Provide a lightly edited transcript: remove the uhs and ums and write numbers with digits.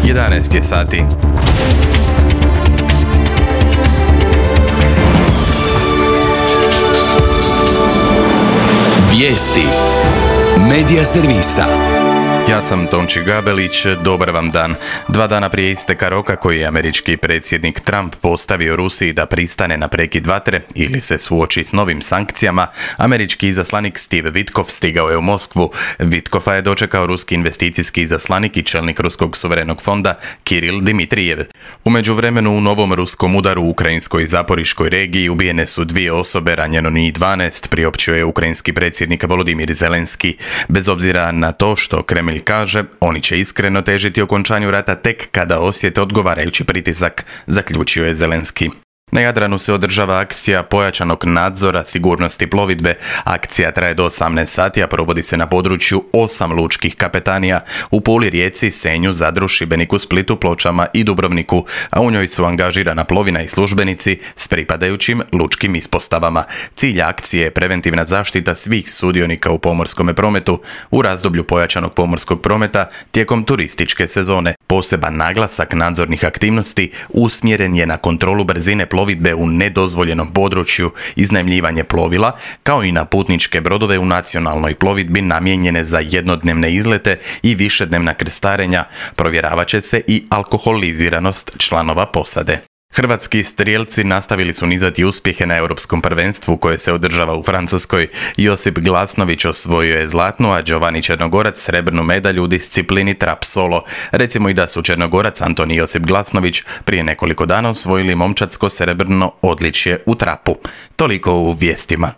11 je sati. Vijesti Medija servisa. Ja sam Tonči Gabelić, dobar vam dan. 2 dana prije isteka roka koji je američki predsjednik Trump postavio Rusiji da pristane na prekid vatre ili se suoči s novim sankcijama, američki izaslanik Steve Witkoff stigao je u Moskvu. Witkoffa je dočekao ruski investicijski izaslanik i čelnik Ruskog suverenog fonda Kiril Dmitrijev. U međuvremenu u novom ruskom udaru u ukrajinskoj Zaporiškoj regiji ubijene su 2 osobe, ranjeno njih 12, priopćio je ukrajinski predsjednik Volodimir Zelenski. Bez obzira na to što Kremlj kaže, oni će iskreno težiti okončanju rata tek kada osjete odgovarajući pritisak, zaključio je Zelenski. Na Jadranu se održava akcija pojačanog nadzora sigurnosti plovidbe. Akcija traje do 18 sati, a provodi se na području 8 lučkih kapetanija u Puli, Rijeci, Senju, Zadru, Šibeniku, Splitu, Pločama i Dubrovniku, a u njoj su angažirana plovina i službenici s pripadajućim lučkim ispostavama. Cilj akcije je preventivna zaštita svih sudionika u pomorskom prometu u razdoblju pojačanog pomorskog prometa tijekom turističke sezone. Poseban naglasak nadzornih aktivnosti usmjeren je na kontrolu brzine plovidbe u nedozvoljenom području, iznajmljivanje plovila, kao i na putničke brodove u nacionalnoj plovidbi namijenjene za jednodnevne izlete i višednevna krstarenja. Provjeravat će se i alkoholiziranost članova posade. Hrvatski strijelci nastavili su nizati uspjehe na europskom prvenstvu koje se održava u Francuskoj. Josip Glasnović osvojio je zlatnu, a Giovanni Černogorac srebrnu medalju u disciplini trap solo. Recimo i da su Černogorac, Anton i Josip Glasnović prije nekoliko dana osvojili momčadsko srebrno odličje u trapu. Toliko u vijestima.